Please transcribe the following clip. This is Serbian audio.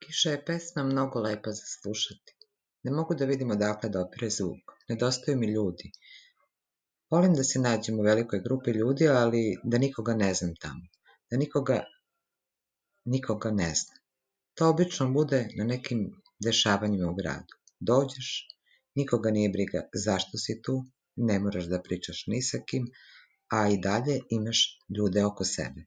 Kiša je pesma mnogo lepa za slušati. Ne mogu da vidim odakle dopire zvuk. Nedostaju mi ljudi. Volim da se nađem u velikoj grupi ljudi, ali da nikoga ne znam tamo. Da nikoga ne znam. To obično bude na nekim dešavanjima u gradu. Dođeš, nikoga nije briga zašto si tu, ne moraš da pričaš ni sa kim, a i dalje imaš ljude oko sebe.